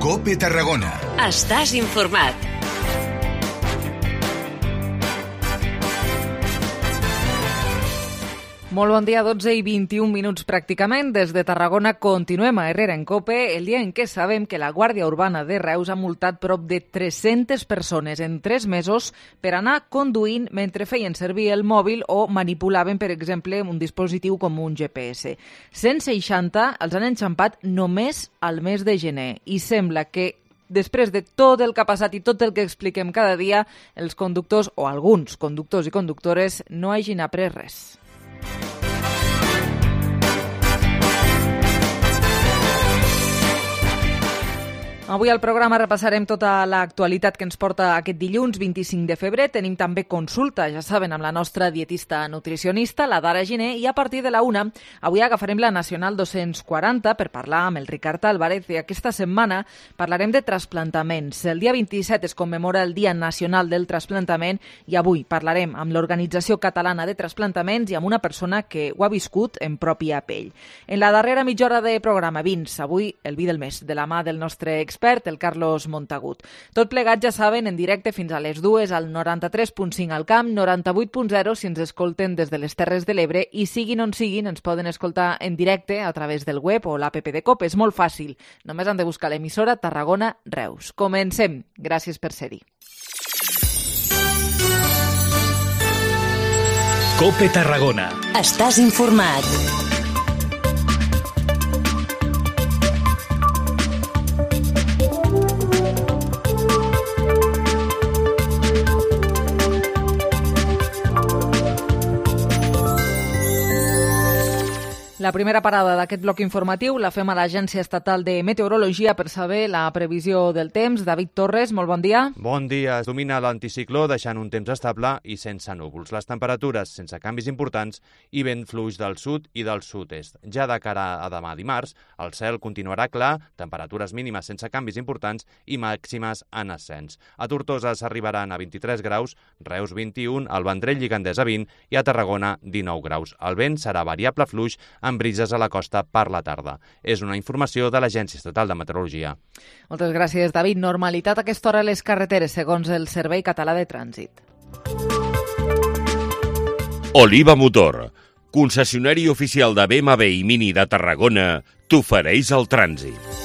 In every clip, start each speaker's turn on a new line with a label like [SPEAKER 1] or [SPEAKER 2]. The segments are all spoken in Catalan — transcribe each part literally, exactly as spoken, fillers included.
[SPEAKER 1] COPE Tarragona.
[SPEAKER 2] Estàs informat.
[SPEAKER 3] Molt bon dia, dotze i vint-i-un minuts pràcticament. Des de Tarragona continuem a Herrera en COPE, el dia en què sabem que la Guàrdia Urbana de Reus ha multat prop de tres-centes persones en tres mesos per anar conduint mentre feien servir el mòbil o manipulaven, per exemple, un dispositiu com un G P S. cent seixanta els han enxampat només al mes de gener i sembla que després de tot el que ha passat i tot el que expliquem cada dia, els conductors o alguns conductors i conductores no hagin après res. Avui al programa repassarem tota l'actualitat que ens porta aquest dilluns vint-i-cinc de febrer. Tenim també consulta, ja saben, amb la nostra dietista nutricionista, la Dara Giner, i a partir de la una avui agafarem la Nacional dos-cents quaranta per parlar amb el Ricard Álvarez i aquesta setmana parlarem de trasplantaments. El dia vint-i-set es commemora el Dia Nacional del Trasplantament i avui parlarem amb l'Organització Catalana de Trasplantaments i amb una persona que ho ha viscut en pròpia pell. En la darrera mitja hora de programa, vins, avui el vi del mes, de la mà del nostre expert, el Carlos Montagut. Tot plegat, ja saben, en directe fins a les dues al noranta-tres punt cinc al Camp, noranta-vuit punt zero si ens escolten des de les Terres de l'Ebre i siguin on siguin, ens poden escoltar en directe a través del web o l'app de COPE. És molt fàcil, només han de buscar l'emissora Tarragona Reus. Comencem. Gràcies per ser-hi.
[SPEAKER 4] COPE Tarragona.
[SPEAKER 2] Estàs informat.
[SPEAKER 3] La primera parada d'aquest bloc informatiu la fem a l'Agència Estatal de Meteorologia per saber la previsió del temps. David Torres, molt bon dia.
[SPEAKER 5] Bon dia. Es domina l'anticicló deixant un temps estable i sense núvols. Les temperatures sense canvis importants i vent fluix del sud i del sud-est. Ja de cara a demà dimarts, el cel continuarà clar, temperatures mínimes sense canvis importants i màximes en ascens. A Tortosa s'arribaran a vint-i-tres graus, Reus vint-i-un, al Vendrell i Gandesa vint i a Tarragona dinou graus. El vent serà variable fluix amb brises a la costa per la tarda. És una informació de l'Agència Estatal de Meteorologia.
[SPEAKER 3] Moltes gràcies, David. Normalitat a aquesta hora a les carreteres, segons el Servei Català de Trànsit.
[SPEAKER 6] Oliva Motor, concessionari oficial de B M W i Mini de Tarragona, t'ofereix el trànsit.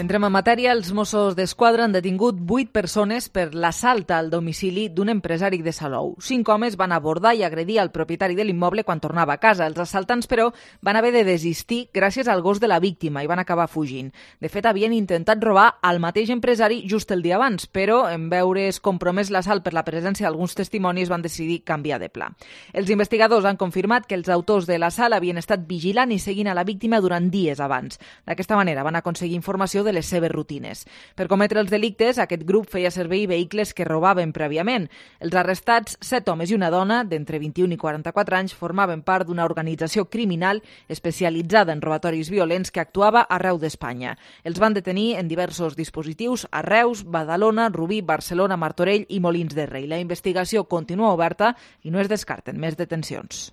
[SPEAKER 3] Entrem en matèria. Els Mossos d'Esquadra han detingut vuit persones per l'assalt al domicili d'un empresari de Salou. Cinc homes van abordar i agredir el propietari de l'immoble quan tornava a casa. Els assaltants, però, van haver de desistir gràcies al gos de la víctima i van acabar fugint. De fet, havien intentat robar al mateix empresari just el dia abans, però en veure's compromès l'assalt per la presència d'alguns testimonis van decidir canviar de pla. Els investigadors han confirmat que els autors de l'assalt havien estat vigilant i seguint a la víctima durant dies abans. D'aquesta manera van aconseguir informació de les seves rutines. Per cometre els delictes, aquest grup feia servir vehicles que robaven prèviament. Els arrestats, set homes i una dona, d'entre vint-i-un i quaranta-quatre anys, formaven part d'una organització criminal especialitzada en robatoris violents que actuava arreu d'Espanya. Els van detenir en diversos dispositius a Reus, Badalona, Rubí, Barcelona, Martorell i Molins de Rei. La investigació continua oberta i no es descarten més detencions.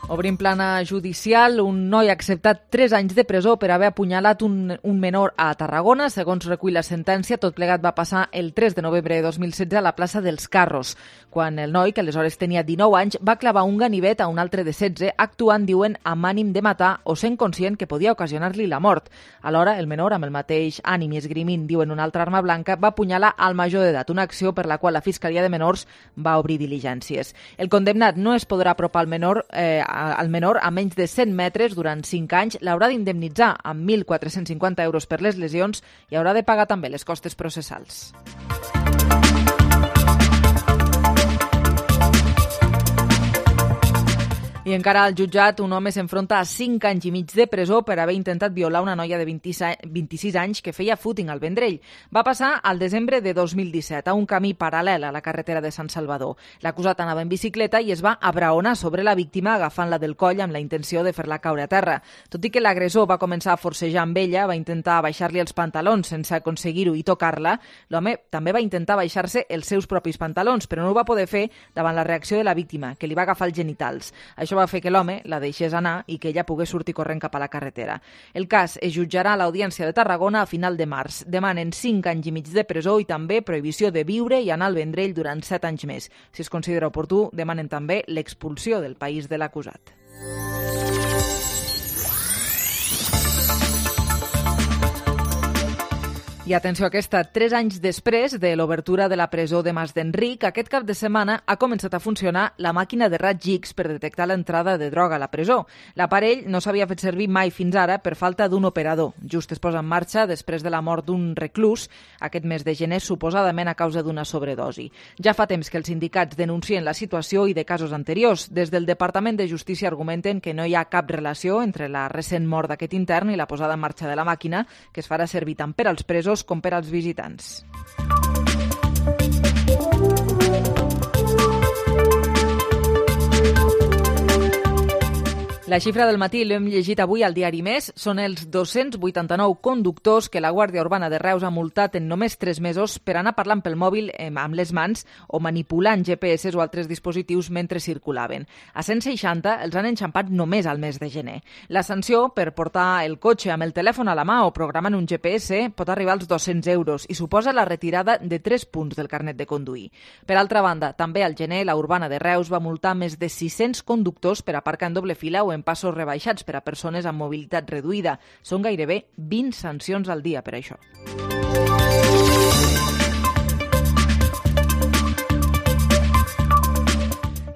[SPEAKER 3] Obrim plana judicial. Un noi ha acceptat tres anys de presó per haver apunyalat un, un menor a Tarragona. Segons recull la sentència, tot plegat va passar el tres de novembre de dos mil setze a la plaça dels Carros, quan el noi, que aleshores tenia dinou anys, va clavar un ganivet a un altre de setze, actuant, diuen, amb ànim de matar o sent conscient que podia ocasionar-li la mort. Alhora, el menor, amb el mateix ànim i esgrimint, diuen, una altra arma blanca, va apunyalar al major d'edat, una acció per la qual la Fiscalia de Menors va obrir diligències. El condemnat no es podrà apropar al menor eh, al menor a menys de cent metres durant cinc anys, l'haurà d'indemnitzar amb mil quatre-cents cinquanta euros per les lesions i haurà de pagar també les costes processals. I encara al jutjat, un home s'enfronta a cinc anys i mig de presó per haver intentat violar una noia de vint-i-sis anys que feia footing al Vendrell. Va passar al desembre de dos mil disset a un camí paral·lel a la carretera de Sant Salvador. L'acusat anava en bicicleta i es va abraonar sobre la víctima agafant-la del coll amb la intenció de fer-la caure a terra. Tot i que l'agressor va començar a forcejar amb ella, va intentar baixar-li els pantalons sense aconseguir-ho i tocar-la, l'home també va intentar baixar-se els seus propis pantalons, però no ho va poder fer davant la reacció de la víctima, que li va agafar els genitals. Això va fer que l'home la deixés anar i que ella pogués sortir corrent cap a la carretera. El cas es jutjarà a l'Audiència de Tarragona a final de març. Demanen cinc anys i mig de presó i també prohibició de viure i anar al Vendrell durant set anys més. Si es considera oportú, demanen també l'expulsió del país de l'acusat. I atenció a aquesta, tres anys després de l'obertura de la presó de Mas d'Enric, aquest cap de setmana ha començat a funcionar la màquina de raigs X per detectar l'entrada de droga a la presó. L'aparell no s'havia fet servir mai fins ara per falta d'un operador. Just es posa en marxa després de la mort d'un reclús aquest mes de gener, suposadament a causa d'una sobredosi. Ja fa temps que els sindicats denuncien la situació i de casos anteriors. Des del Departament de Justícia argumenten que no hi ha cap relació entre la recent mort d'aquest intern i la posada en marxa de la màquina, que es farà servir tant per als presos com per als visitants. La xifra del matí l'hem llegit avui al diari Més. Són els dos-cents vuitanta-nou conductors que la Guàrdia Urbana de Reus ha multat en només tres mesos per anar parlant pel mòbil amb les mans o manipulant G P S o altres dispositius mentre circulaven. A cent seixanta els han enxampat només al mes de gener. La sanció per portar el cotxe amb el telèfon a la mà o programant un G P S pot arribar als dos-cents euros i suposa la retirada de tres punts del carnet de conduir. Per altra banda, també al gener la Urbana de Reus va multar més de sis-cents conductors per aparcar en doble fila o en passos rebaixats per a persones amb mobilitat reduïda. Són gairebé vint sancions al dia per això.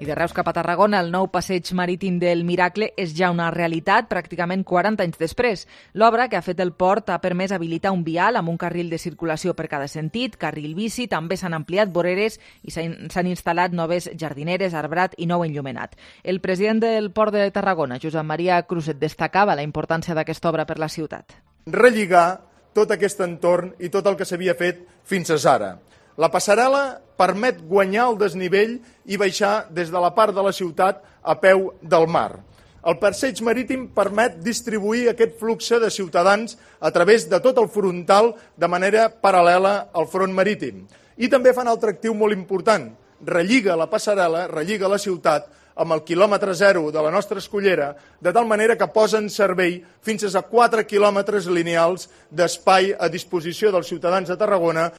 [SPEAKER 3] I de Reus cap a Tarragona, el nou passeig marítim del Miracle és ja una realitat pràcticament quaranta anys després. L'obra que ha fet el port ha permès habilitar un vial amb un carril de circulació per cada sentit, carril bici, també s'han ampliat voreres i s'han instal·lat noves jardineres, arbrat i nou enllumenat. El president del Port de Tarragona, Josep Maria Cruzet, destacava la importància d'aquesta obra per la ciutat.
[SPEAKER 1] Relligar tot aquest entorn i tot el que s'havia fet fins ara. La passarel·la permet guanyar el desnivell i baixar des de la part de la ciutat a peu del mar. El passeig marítim permet distribuir aquest flux de ciutadans a través de tot el frontal de manera paral·lela al front marítim. I també fa un atractiu molt important. Relliga la passarel·la, relliga la ciutat amb el quilòmetre zero de la nostra escollera, de tal manera que posa en servei fins a quatre quilòmetres lineals d'espai a disposició dels ciutadans de Tarragona.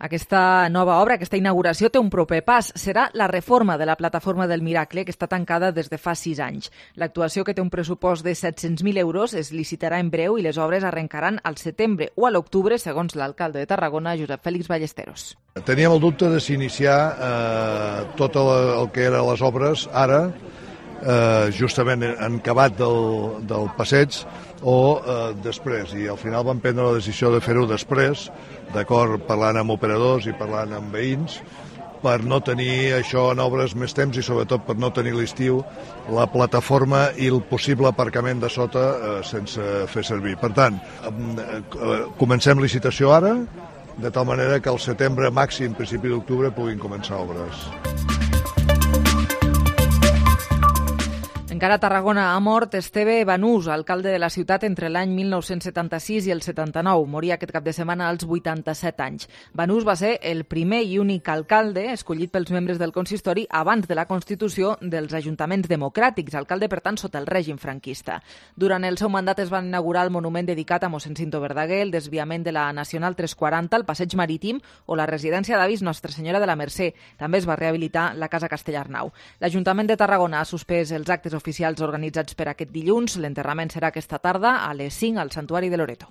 [SPEAKER 3] Aquesta nova obra, aquesta inauguració, té un proper pas. Serà la reforma de la plataforma del Miracle, que està tancada des de fa sis anys. L'actuació, que té un pressupost de set-cents mil euros, es licitarà en breu i les obres arrencaran al setembre o a l'octubre, segons l'alcalde de Tarragona, Josep Fèlix Ballesteros.
[SPEAKER 7] Teníem el dubte de s'iniciar eh, tot el, el que eren les obres ara, eh, justament en acabat del, del passeig, o eh, després, i al final vam prendre la decisió de fer-ho després, d'acord, parlant amb operadors i parlant amb veïns, per no tenir això en obres més temps i sobretot per no tenir l'estiu la plataforma i el possible aparcament de sota eh, sense fer servir. Per tant, eh, comencem licitació ara, de tal manera que al setembre, màxim, principi d'octubre, puguin començar obres.
[SPEAKER 3] Encara a Tarragona ha mort Esteve Banús, alcalde de la ciutat entre l'any mil nou-cents setanta-sis i el setanta-nou. Moria aquest cap de setmana als vuitanta-set anys. Banús va ser el primer i únic alcalde escollit pels membres del consistori abans de la constitució dels ajuntaments democràtics, alcalde, per tant, sota el règim franquista. Durant el seu mandat es va inaugurar el monument dedicat a mossèn Cinto Verdaguer, el desviament de la Nacional tres quaranta, el passeig marítim o la residència d'avis Nostra Senyora de la Mercè. També es va rehabilitar la Casa Castellarnau. L'Ajuntament de Tarragona ha suspès els actes oficials oficials organitzats per aquest dilluns. L'enterrament serà aquesta tarda a les cinc al Santuari de Loreto.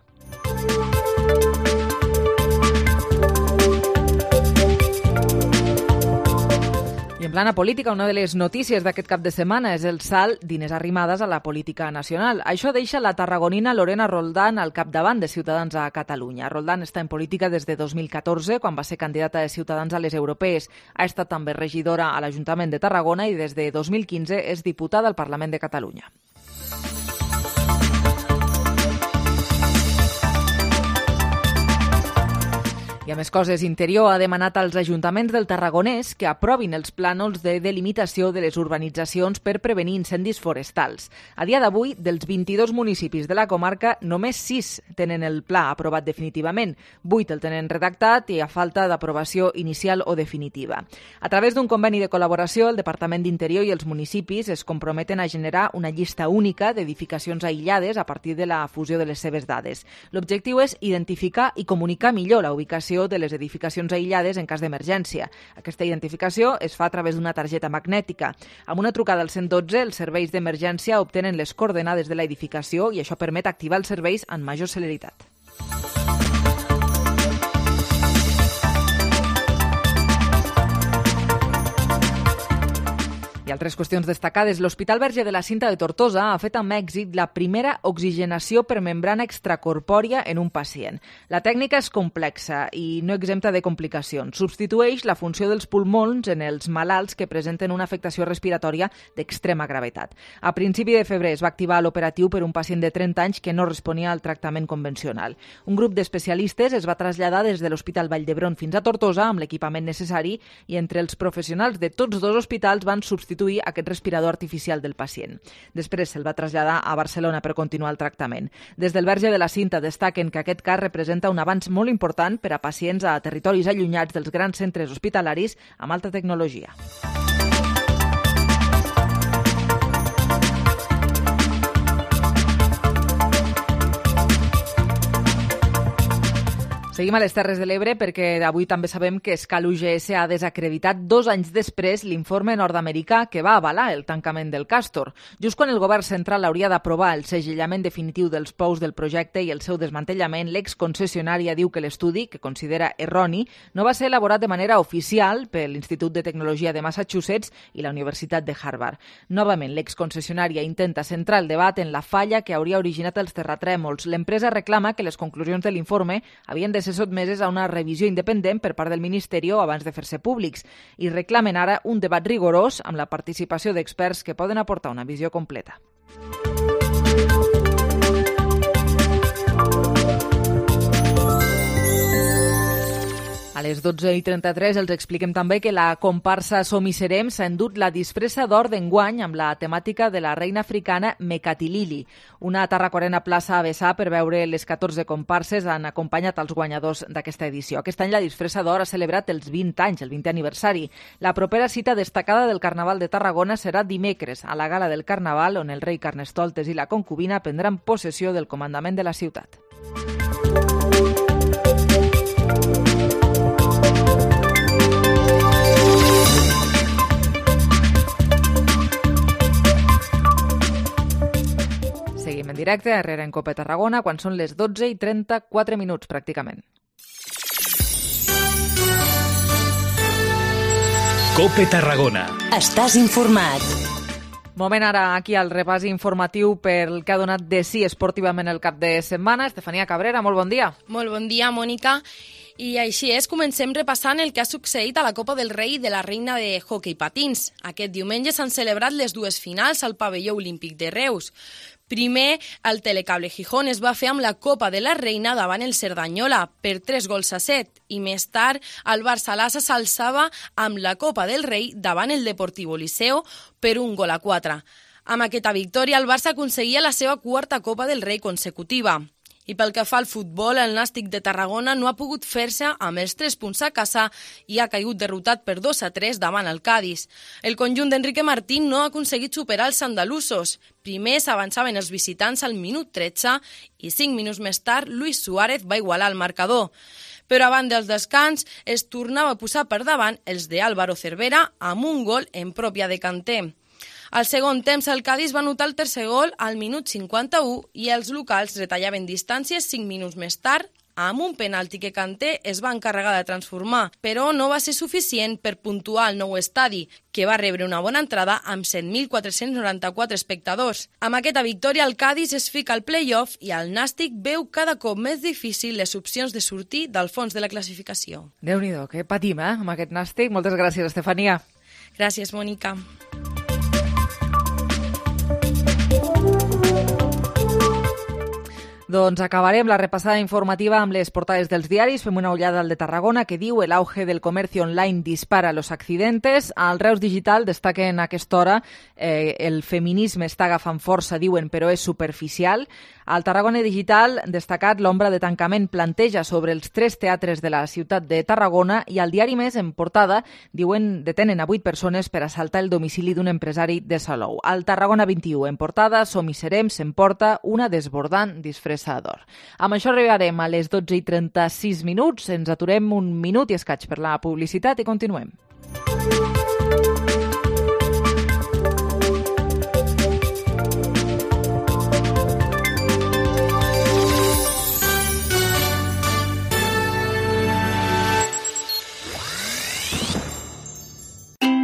[SPEAKER 3] I en plana política, una de les notícies d'aquest cap de setmana és el salt d'Inés Arrimadas a la política nacional. Això deixa la tarragonina Lorena Roldán al capdavant de Ciutadans a Catalunya. Roldán està en política des de dos mil catorze, quan va ser candidata de Ciutadans a les europees. Ha estat també regidora a l'Ajuntament de Tarragona i des de dos mil quinze és diputada al Parlament de Catalunya. I a més coses, Interior ha demanat als ajuntaments del Tarragonès que aprovin els plànols de delimitació de les urbanitzacions per prevenir incendis forestals. A dia d'avui, dels vint-i-dos municipis de la comarca, només sis tenen el pla aprovat definitivament. Vuit el tenen redactat i a falta d'aprovació inicial o definitiva. A través d'un conveni de col·laboració, el Departament d'Interior i els municipis es comprometen a generar una llista única d'edificacions aïllades a partir de la fusió de les seves dades. L'objectiu és identificar i comunicar millor la ubicació de les edificacions aïllades en cas d'emergència. Aquesta identificació es fa a través d'una targeta magnètica. Amb una trucada al cent dotze, els serveis d'emergència obtenen les coordenades de l'edificació i això permet activar els serveis amb major celeritat. I altres qüestions destacades. L'Hospital Verge de la Cinta de Tortosa ha fet amb èxit la primera oxigenació per membrana extracorpòria en un pacient. La tècnica és complexa i no exempta de complicacions. Substitueix la funció dels pulmons en els malalts que presenten una afectació respiratòria d'extrema gravetat. A principi de febrer es va activar l'operatiu per un pacient de trenta anys que no responia al tractament convencional. Un grup d'especialistes es va traslladar des de l'Hospital Vall d'Hebron fins a Tortosa amb l'equipament necessari i entre els professionals de tots dos hospitals van substituir aquest respirador artificial del pacient. Després se'l va traslladar a Barcelona per continuar el tractament. Des del Verge de la Cinta destaquen que aquest cas representa un avanç molt important per a pacients a territoris allunyats dels grans centres hospitalaris amb alta tecnologia. Seguim a les Terres de l'Ebre perquè avui també sabem que Escal U G S ha desacreditat dos anys després l'informe nord-americà que va avalar el tancament del Càstor. Just quan el govern central hauria d'aprovar el segellament definitiu dels pous del projecte i el seu desmantellament, l'exconcessionària diu que l'estudi, que considera erroni, no va ser elaborat de manera oficial per l'Institut de Tecnologia de Massachusetts i la Universitat de Harvard. Novament, l'exconcessionària intenta centrar el debat en la falla que hauria originat els terratrèmols. L'empresa reclama que les conclusions de l'informe havien de ser sotmeses a una revisió independent per part del Ministeri abans de fer-se públics i reclamen ara un debat rigorós amb la participació d'experts que poden aportar una visió completa. A les dotze i trenta-tres els expliquem també que la comparsa Som i Serem s'ha endut la disfressa d'or d'enguany amb la temàtica de la reina africana Mekatilili. Una tarraconena plaça a vessar per veure les catorze comparses han acompanyat els guanyadors d'aquesta edició. Aquest any la disfressa d'or ha celebrat els vint anys, el vintè aniversari. La propera cita destacada del Carnaval de Tarragona serà dimecres, a la gala del Carnaval, on el rei Carnestoltes i la concubina prendran possessió del comandament de la ciutat. Seguim en directe, Herrera en Cope Tarragona, quan són les dotze i trenta-quatre minuts, pràcticament.
[SPEAKER 4] Cope Tarragona.
[SPEAKER 2] Estàs informat.
[SPEAKER 3] Moment ara aquí al repàs informatiu pel que ha donat de sí esportivament el cap de setmana. Estefania Cabrera, molt bon dia.
[SPEAKER 8] Molt bon dia, Mònica. I així és, comencem repassant el que ha succeït a la Copa del Rei de la Reina de Hockey Patins. Aquest diumenge s'han celebrat les dues finals al pavelló olímpic de Reus. Primer, el Telecable Gijón es va fer amb la Copa de la Reina davant el Cerdanyola per tres gols a set i més tard el Barça Lassa s'alçava amb la Copa del Rei davant el Deportivo Liceo per un gol a quatre. Amb aquesta victòria el Barça aconseguia la seva quarta Copa del Rei consecutiva. I pel que fa al futbol, el Nàstic de Tarragona no ha pogut fer-se amb els tres punts a casa i ha caigut derrotat per dos a tres davant el Cádiz. El conjunt d'Enrique Martín no ha aconseguit superar els andalusos. Primer s'avançaven els visitants al minut tretze i cinc minuts més tard Luis Suárez va igualar el marcador. Però abans del descans es tornava a posar per davant els de Álvaro Cervera amb un gol en pròpia de Kanté. Al segon temps, el Cádiz va anotar el tercer gol al minut cinquanta-u i els locals retallaven distàncies cinc minuts més tard amb un penalti que Kanté es va encarregar de transformar, però no va ser suficient per puntuar el nou estadi, que va rebre una bona entrada amb set mil quatre-cents noranta-quatre espectadors. Amb aquesta victòria, el Cádiz es fica al play-off i el Nàstic veu cada cop més difícil les opcions de sortir del fons de la classificació.
[SPEAKER 3] Déu-n'hi-do, que patim, eh, amb aquest Nàstic. Moltes gràcies, Estefania.
[SPEAKER 8] Gràcies, Mònica.
[SPEAKER 3] Doncs acabarem la repassada informativa amb les portades dels diaris. Fem una ullada al de Tarragona que diu el auge del comercio online dispara los accidentes. Al Reus Digital destaquen a aquesta hora eh, el feminisme està agafant força, diuen, però és superficial. Al Tarragona Digital destacat l'ombra de tancament planteja sobre els tres teatres de la ciutat de Tarragona i al diari Més en portada diuen detenen a vuit persones per assaltar el domicili d'un empresari de Salou. Al Tarragona vint-i-u en portada Som i serem s'emporta una desbordant disfressador. Amb això arribarem a les dotze i trenta-sis minuts. Ens aturem un minut i escaig per la publicitat i continuem.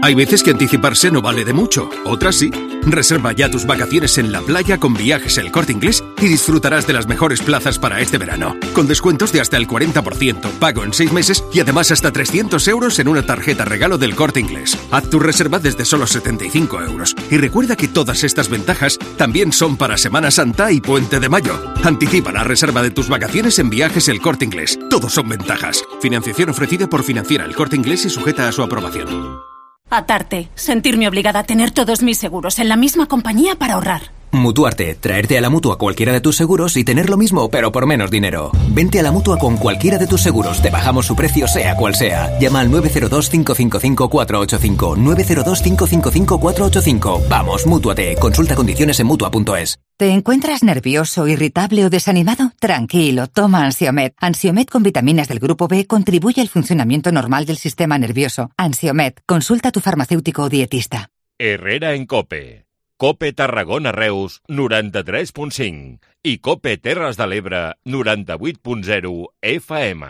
[SPEAKER 9] Hay veces que anticiparse no vale de mucho, otras sí. Reserva ya tus vacaciones en la playa con Viajes El Corte Inglés y disfrutarás de las mejores plazas para este verano. Con descuentos de hasta el cuarenta por ciento, pago en seis meses y además hasta trescientos euros en una tarjeta regalo del Corte Inglés. Haz tu reserva desde solo setenta y cinco euros. Y recuerda que todas estas ventajas también son para Semana Santa y Puente de Mayo. Anticipa la reserva de tus vacaciones en Viajes El Corte Inglés. Todos son ventajas. Financiación ofrecida por Financiera El Corte Inglés y sujeta a su aprobación.
[SPEAKER 10] Atarte. Sentirme obligada a tener todos mis seguros en la misma compañía para ahorrar.
[SPEAKER 11] Mutuarte. Traerte a la Mutua cualquiera de tus seguros y tener lo mismo, pero por menos dinero. Vente a la Mutua con cualquiera de tus seguros. Te bajamos su precio, sea cual sea. Llama al nueve cero dos, cinco cinco cinco, cuatro ocho cinco. nueve cero dos, cinco cinco cinco, cuatro ocho cinco. Vamos, Mútuate. Consulta condiciones en Mutua punto es.
[SPEAKER 12] ¿Te encuentras nervioso, irritable o desanimado? Tranquilo, toma Ansiomed. Ansiomed con vitaminas del grupo B contribuye al funcionamiento normal del sistema nervioso. Ansiomed, consulta a tu farmacéutico o dietista.
[SPEAKER 6] Herrera en Cope. Cope Tarragona Reus, noranta-tres punt cinc. I Cope Terres de l'Ebre, noranta-vuit punt zero F M.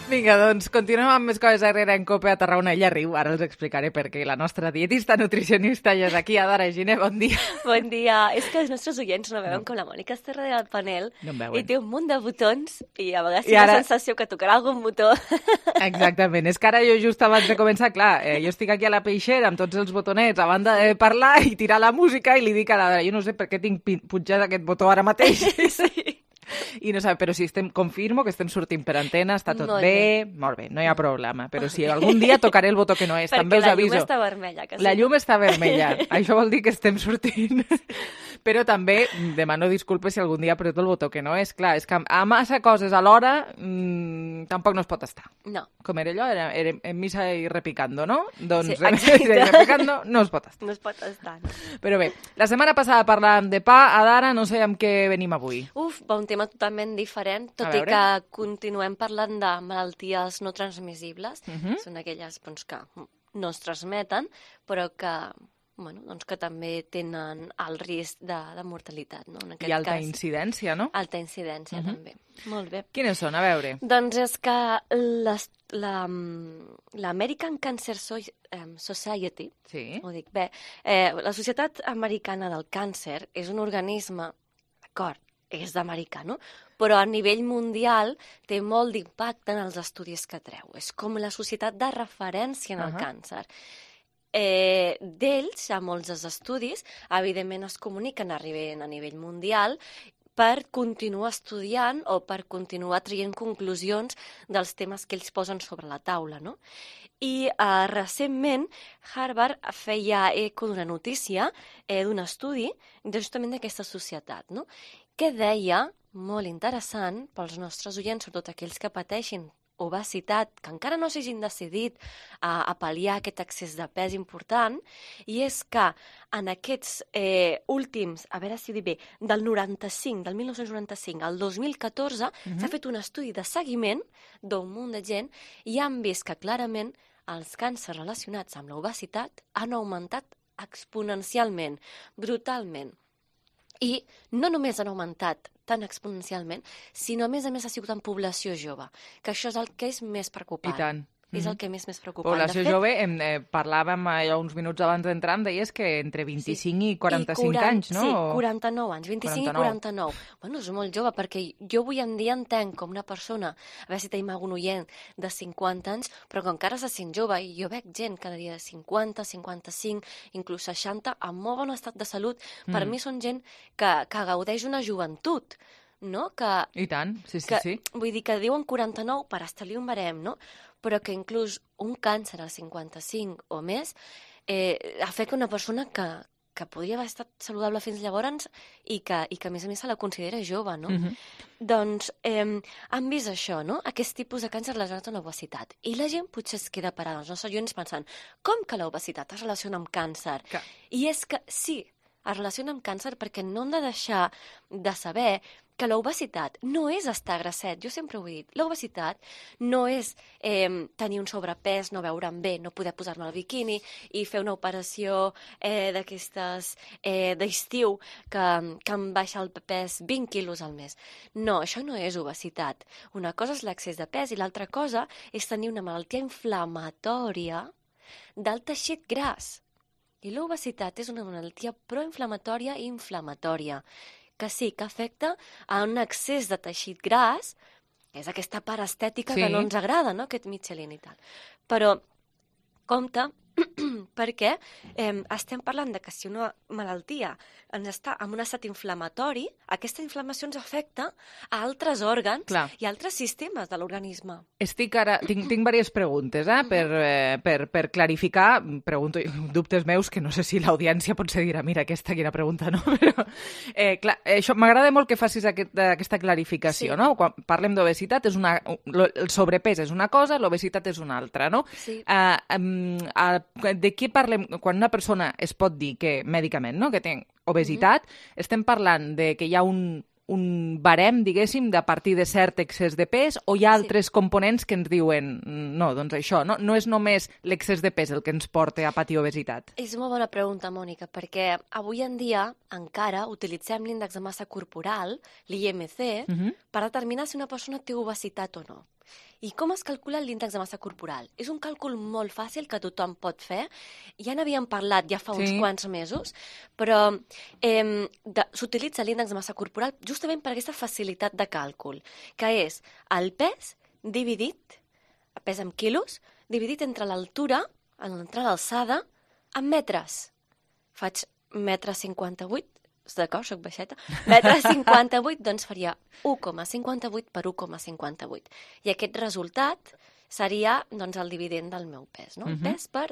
[SPEAKER 3] Vinga, doncs continuem amb més coses a Herrera en Cope a Tarragona. Ella riu, ara els explicaré per què. La nostra dietista nutricionista ja és aquí. Adara Giner, bon dia.
[SPEAKER 13] Bon dia. És que els nostres oients no veuen no. com la Mònica està darrere del panel
[SPEAKER 3] no
[SPEAKER 13] i té un munt de botons i a vegades
[SPEAKER 3] I
[SPEAKER 13] té
[SPEAKER 3] ara...
[SPEAKER 13] la sensació que tocarà algun botó.
[SPEAKER 3] Exactament. És que ara jo just abans de començar, clar, eh, jo estic aquí a la peixera amb tots els botonets a banda de parlar i tirar la música i li dic a l'Adara, jo no sé per què tinc punxat aquest botó ara mateix.
[SPEAKER 13] Sí.
[SPEAKER 3] I no sabe, però si estem, confirmo que estem sortint per antena, està tot
[SPEAKER 13] molt
[SPEAKER 3] bé, bé, molt bé, no hi ha problema, però si algun dia tocaré el botó que no és,
[SPEAKER 13] perquè
[SPEAKER 3] també us aviso.
[SPEAKER 13] Perquè la llum està vermella. Que sí.
[SPEAKER 3] La llum està vermella, això vol dir que estem sortint. Però també demano disculpes si algun dia apreto el botó que no és. Clar, és que a massa coses alhora mmm, tampoc no es pot estar.
[SPEAKER 13] No.
[SPEAKER 3] Com era allò, era, era en misa i repicando, no? Doncs
[SPEAKER 13] sí,
[SPEAKER 3] en misa i repicando no es pot estar.
[SPEAKER 13] No es pot estar.
[SPEAKER 3] Però bé, la setmana passada parlàvem de pa, Adara, no sé amb què venim avui.
[SPEAKER 13] Uf, va un tema totalment diferent, tot i que continuem parlant de malalties no transmissibles. Uh -huh. Són aquelles doncs, que no es transmeten, però que... Bueno, doncs que també tenen el risc de, de mortalitat, no? En aquest
[SPEAKER 3] I alta
[SPEAKER 13] cas,
[SPEAKER 3] incidència, no?
[SPEAKER 13] Alta incidència, uh -huh. també. Molt bé.
[SPEAKER 3] Quines són? A veure.
[SPEAKER 13] Doncs és que l'American Cancer Society,
[SPEAKER 3] sí.
[SPEAKER 13] ho dic bé, eh, la Societat Americana del Càncer és un organisme, d'acord, és d'americà, no? Però a nivell mundial té molt d'impacte en els estudis que treu. És com la societat de referència en el uh -huh. càncer. Eh, d'ells, a molts dels estudis, evidentment es comuniquen arribant a nivell mundial per continuar estudiant o per continuar traient conclusions dels temes que ells posen sobre la taula, no? I eh, recentment Harvard feia eco d'una notícia eh, d'un estudi justament d'aquesta societat, no? Que deia, molt interessant, pels nostres oients, sobretot aquells que pateixin obesitat, que encara no s'hagin decidit a, a pal·liar aquest excés de pes important, i és que en aquests eh, últims, a veure si ho dic bé, del noranta-cinc, del dinou noranta-cinc al dos mil catorze, uh-huh. s'ha fet un estudi de seguiment d'un munt de gent i han vist que clarament els càncers relacionats amb l'obesitat han augmentat exponencialment, brutalment. I no només han augmentat tan exponencialment, sinó a més a més ha sigut en població jove, que això és el que és més preocupant.
[SPEAKER 3] I tant.
[SPEAKER 13] És el que més més preocupant.
[SPEAKER 3] Població
[SPEAKER 13] de fet,
[SPEAKER 3] jove, em, eh, parlàvem allò uns minuts abans d'entrar, em deies que entre vint-i-cinc sí. i quaranta-cinc
[SPEAKER 13] I quaranta,
[SPEAKER 3] anys, no?
[SPEAKER 13] Sí, quaranta-nou anys, vint-i-cinc
[SPEAKER 3] quaranta-nou.
[SPEAKER 13] i quaranta-nou. Bueno, és molt jove, perquè jo avui en dia entenc com una persona, a veure si tenim algun oient de cinquanta anys, però que encara se sent jove, i jo veig gent cada dia de cinquanta, cinquanta-cinc, inclús seixanta, amb molt bon estat de salut. Per
[SPEAKER 3] Mm.
[SPEAKER 13] mi són gent que, que gaudeix una joventut, no? Que,
[SPEAKER 3] I tant, sí, sí,
[SPEAKER 13] que,
[SPEAKER 3] sí.
[SPEAKER 13] Vull dir que diuen quaranta-nou per establir un barem, no? Però que inclús un càncer als cinquanta-cinc o més eh, afecta una persona que, que podria haver estat saludable fins llavors i que, i que a més a més se la considera jove, no?
[SPEAKER 3] Mhm.
[SPEAKER 13] Doncs eh, han vist això, no? Aquest tipus de càncer relacionat amb l'obesitat. I la gent potser es queda parada, els nostres oients pensant, com que l'obesitat es relaciona amb càncer?
[SPEAKER 3] Que...
[SPEAKER 13] I és que sí, es relaciona amb càncer perquè no hem de deixar de saber que l'obesitat no és estar grasset, jo sempre ho he dit, l'obesitat no és eh, tenir un sobrepès, no veure'm bé, no poder posar-me el biquini i fer una operació eh, d'aquestes eh, d'estiu que, que em baixa el pes vint quilos al mes. No, això no és obesitat. Una cosa és l'excés de pes i l'altra cosa és tenir una malaltia inflamatòria del teixit gras. I l'obesitat és una malaltia proinflamatòria i inflamatòria, que sí, que afecta a un excés de teixit gras, que és aquesta part estètica sí. que no ens agrada, no?, aquest Michelin i tal. Però, compte, perquè eh, estem parlant de que si una malaltia ens està en un estat inflamatori, aquesta inflamació ens afecta a altres òrgans Clar. i altres sistemes de l'organisme.
[SPEAKER 3] Estic ara... Tinc, tinc diverses preguntes, eh, per, eh, per, per clarificar. Pregunto dubtes meus, que no sé si l'audiència potser dirà, mira, aquesta quina pregunta, no? Però, eh, clar, això m'agrada molt que facis aquest, aquesta clarificació, sí. no? Quan parlem d'obesitat, és una, el sobrepès és una cosa, l'obesitat és una altra, no?
[SPEAKER 13] Sí.
[SPEAKER 3] Uh, um, uh, de què parlem quan una persona es pot dir que mèdicament, no?, que té obesitat, mm-hmm. estem parlant de que hi ha un, un barem, diguéssim, de a partir de cert excés de pes, o hi ha altres sí. components que ens diuen no, doncs això, no, no és només l'excés de pes el que ens porta a patir obesitat?
[SPEAKER 13] És una bona pregunta, Mònica, perquè avui en dia encara utilitzem l'índex de massa corporal, l'I M C, mm-hmm. per determinar si una persona té obesitat o no. I com es calcula l'índex de massa corporal? És un càlcul molt fàcil que tothom pot fer. Ja n'havíem parlat ja fa uns sí. quants mesos, però eh, s'utilitza l'índex de massa corporal justament per aquesta facilitat de càlcul, que és el pes dividit, pes en quilos, dividit entre l'altura, entre l'alçada, en metres. Faig metre cinquanta-vuit, d'acord, soc baixeta, metre cinquanta-vuit, doncs faria u coma cinquanta-vuit per u coma cinquanta-vuit. I aquest resultat seria doncs, el dividend del meu pes, no? Uh-huh. Pes per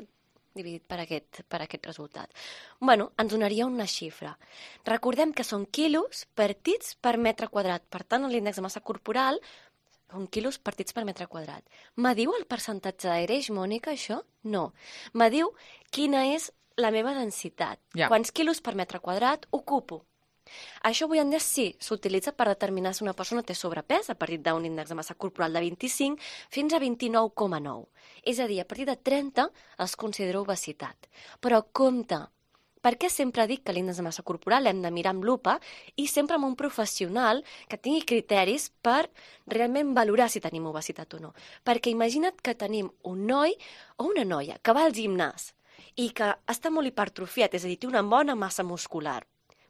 [SPEAKER 13] dividit per aquest, per aquest resultat. Bueno, ens donaria una xifra. Recordem que són quilos partits per metre quadrat. Per tant, l'índex de massa corporal són quilos partits per metre quadrat. M'adiu el percentatge de greix, Mònica, això? No. M'adiu quina és la meva densitat. Ja. Quants quilos per metre quadrat ocupo? Això avui en dia sí, s'utilitza per determinar si una persona té sobrepès a partir d'un índex de massa corporal de vint-i-cinc fins a vint-i-nou coma nou. És a dir, a partir de trenta es considera obesitat. Però compte, per què sempre dic que l'índex de massa corporal l'hem de mirar amb lupa i sempre amb un professional que tingui criteris per realment valorar si tenim obesitat o no? Perquè imagina't que tenim un noi o una noia que va al gimnàs i que està molt hipertrofiat, és a dir, té una bona massa muscular,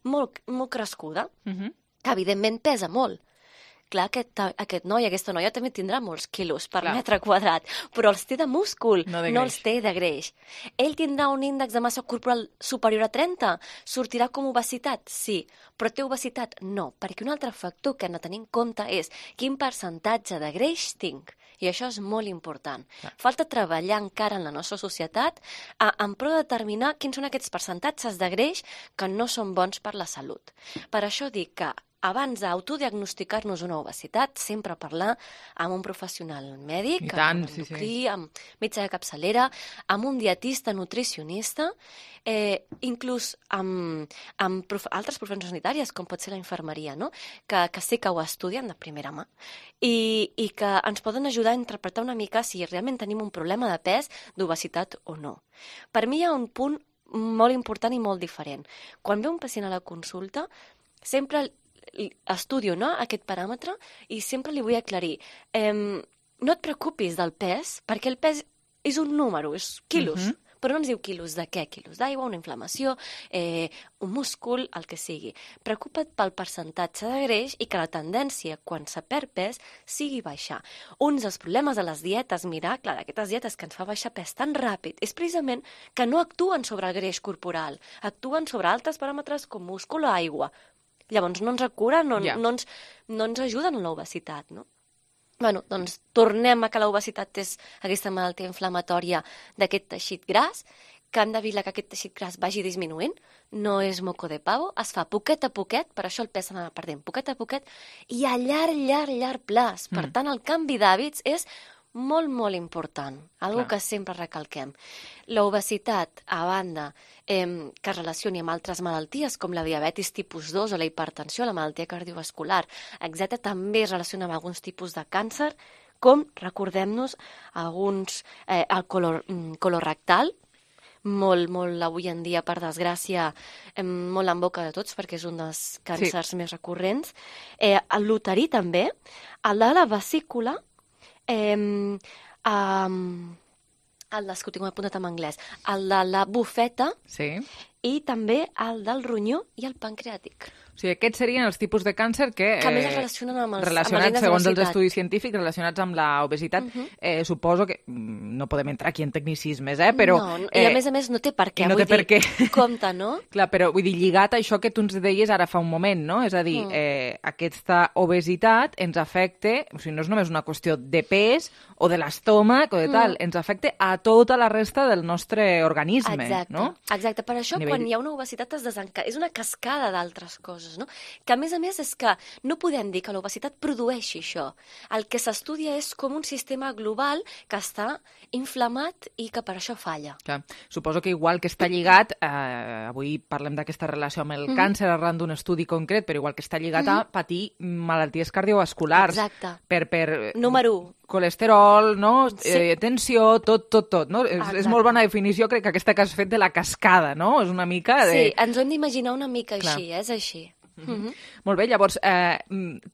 [SPEAKER 13] molt, molt crescuda, uh-huh. que evidentment pesa molt. Clar, aquest, aquest noi, aquesta noia també tindrà molts quilos per Clar. metre quadrat, però els té de múscul, no, de no els té de greix. Ell tindrà un índex de massa corporal superior a trenta? Sortirà com obesitat? Sí. Però té obesitat? No, perquè un altre factor que hem de tenir en compte és quin percentatge de greix tinc. I això és molt important. Clar. Falta treballar encara en la nostra societat a, en pro de determinar quins són aquests percentatges de greix que no són bons per la salut. Per això dic que abans d'autodiagnosticar-nos una obesitat, sempre parlar amb un professional mèdic,
[SPEAKER 3] tant,
[SPEAKER 13] amb un endocrí,
[SPEAKER 3] sí, sí.
[SPEAKER 13] amb metge de capçalera, amb un dietista, nutricionista, eh, inclús amb, amb prof... altres professions sanitàries, com pot ser la infermeria, no? que, que sí que ho estudien de primera mà i, i que ens poden ajudar a interpretar una mica si realment tenim un problema de pes, d'obesitat o no. Per mi hi ha un punt molt important i molt diferent. Quan ve un pacient a la consulta, sempre estudio, no?, aquest paràmetre i sempre li vull aclarir. Eh, no et preocupis del pes, perquè el pes és un número, és quilos. Uh-huh. Però no ens diu quilos de què? Quilos d'aigua, una inflamació, eh, un múscul, el que sigui. Preocupa't pel percentatge de greix i que la tendència, quan se perd pes, sigui baixar. Un dels problemes de les dietes, miracle, d'aquestes dietes que ens fa baixar pes tan ràpid, és precisament que no actuen sobre el greix corporal, actuen sobre altres paràmetres com múscul o aigua. Llavors no ens acuren, no, yeah. no, ens, no ens ajuden en l'obesitat, no? Bueno, doncs tornem a que l'obesitat és aquesta malaltia inflamatòria d'aquest teixit gras, que hem d'evitar que aquest teixit gras vagi disminuint, no és moco de pavo, es fa poquet a poquet, per això el pes s'ha d'anar perdent poquet a poquet, i a llarg, llarg, llarg plaç. Per mm. tant, el canvi d'hàbits és molt, molt important, algo Clar. que sempre recalquem. L'obesitat, a banda, eh, que es relacioni amb altres malalties, com la diabetis tipus dos o la hipertensió, la malaltia cardiovascular, etcètera, també es relaciona amb alguns tipus de càncer, com, recordem-nos, alguns, eh, el color, colorectal, molt, molt avui en dia, per desgràcia, eh, molt en boca de tots, perquè és un dels càncers sí. més recurrents. Eh, el luterí també, el de la vesícula, Eh, um, el des, que ho tinc apuntat en anglès, el de la bufeta
[SPEAKER 3] sí.
[SPEAKER 13] i també el del ronyó i el pancreàtic.
[SPEAKER 3] O sigui, aquests serien els tipus de càncer que...
[SPEAKER 13] Que més es relacionen amb els,
[SPEAKER 3] relacionats,
[SPEAKER 13] amb els
[SPEAKER 3] segons els estudis científics, relacionats amb l'obesitat.
[SPEAKER 13] Uh-huh.
[SPEAKER 3] eh, suposo que... No podem entrar aquí en tecnicismes, eh? Però,
[SPEAKER 13] no, i a eh, més a més no té per què.
[SPEAKER 3] No
[SPEAKER 13] vull
[SPEAKER 3] té per
[SPEAKER 13] dir,
[SPEAKER 3] què.
[SPEAKER 13] Compte, no?
[SPEAKER 3] Clar, però vull dir, lligat a això que tu ens deies ara fa un moment, no? És a dir, mm. eh, aquesta obesitat ens afecta, o sigui, no és només una qüestió de pes o de l'estómac o de tal, mm. ens afecta a tota la resta del nostre organisme,
[SPEAKER 13] Exacte.
[SPEAKER 3] no?
[SPEAKER 13] Exacte, per això Nivell... quan hi ha una obesitat es desenca... és una cascada d'altres coses, no? Que a més a més és que no podem dir que l'obesitat produeixi això. El que s'estudia és com un sistema global que està inflamat i que per això falla.
[SPEAKER 3] Clar. Suposo que igual que està lligat, eh, avui parlem d'aquesta relació amb el mm-hmm. càncer arran d'un estudi concret, però igual que està lligat mm-hmm. a patir malalties cardiovasculars.
[SPEAKER 13] Exacte.
[SPEAKER 3] Per, per...
[SPEAKER 13] Número u.
[SPEAKER 3] Colesterol, no?
[SPEAKER 13] Sí.
[SPEAKER 3] Eh, tensió, tot, tot, tot. No? És, és molt bona definició, crec que aquesta que has fet de la cascada, no? És una mica de...
[SPEAKER 13] Sí, ens ho hem d'imaginar una mica Clar. així, és així.
[SPEAKER 3] Mm-hmm. Mm-hmm. Molt bé, llavors, eh,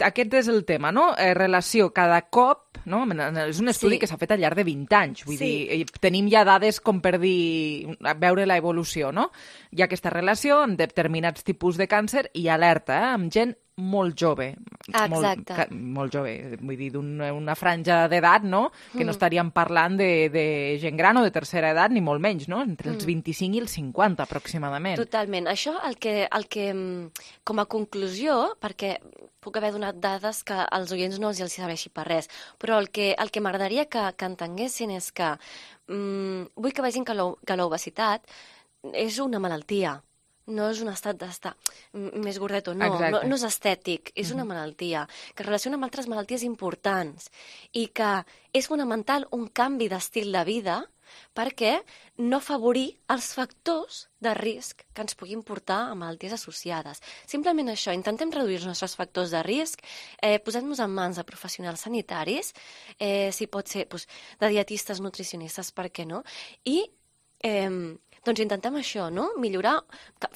[SPEAKER 3] aquest és el tema, no? Eh, relació cada cop, no? És un estudi sí. que s'ha fet al llarg de vint anys, vull sí. dir, tenim ja dades com per dir, veure la evolució, no? Hi ha aquesta relació amb determinats tipus de càncer i alerta, eh, amb gent molt jove.
[SPEAKER 13] Exacte.
[SPEAKER 3] Molt, molt jove, vull dir, d'una una franja d'edat, no? Que no estaríem parlant de, de gent gran o de tercera edat, ni molt menys, no? Entre els vint-i-cinc i els cinquanta, aproximadament.
[SPEAKER 13] Totalment. Això, el que, el que, com a conclusió, perquè puc haver donat dades que als oients no els serveixi per res, però el que, el que m'agradaria que, que entenguessin és que mm, vull que vegin que l'obesitat és una malaltia. No és un estat d'estar més gordet o no, no, no és estètic, és una malaltia que es relaciona amb altres malalties importants i que és fonamental un canvi d'estil de vida perquè no afavorir els factors de risc que ens puguin portar a malalties associades. Simplement això, intentem reduir els nostres factors de risc, eh, posant-nos en mans de professionals sanitaris, eh, si pot ser doncs, de dietistes, nutricionistes, per què no? I eh, doncs intentem això, no? Millorar,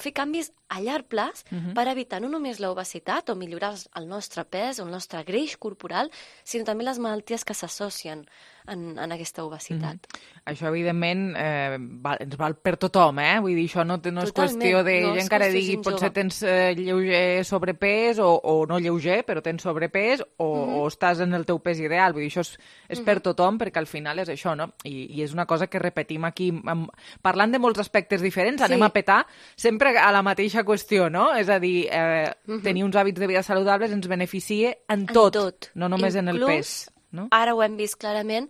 [SPEAKER 13] fer canvis a llarg plaç uh-huh. per evitar no només l'obesitat o millorar el nostre pes o el nostre greix corporal, sinó també les malalties que s'associen en, en aquesta obesitat.
[SPEAKER 3] Uh-huh. Això, evidentment, eh, val, ens val per tothom, eh? Vull dir, això no, no és Totalment. qüestió de no gent que ara digui potser tens eh, lleuger sobrepès o, o no lleuger, però tens sobrepès o, uh-huh. o estàs en el teu pes ideal. Vull dir, això és, és uh-huh. per tothom perquè al final és això, no? I, i és una cosa que repetim aquí, amb, parlant de molts aspectes diferents, sí. anem a petar sempre a la mateixa qüestió, no? És a dir, eh, uh-huh. tenir uns hàbits de vida saludables ens beneficia en tot, en tot. no només Inclús, en el pes. No?
[SPEAKER 13] Ara ho hem vist clarament,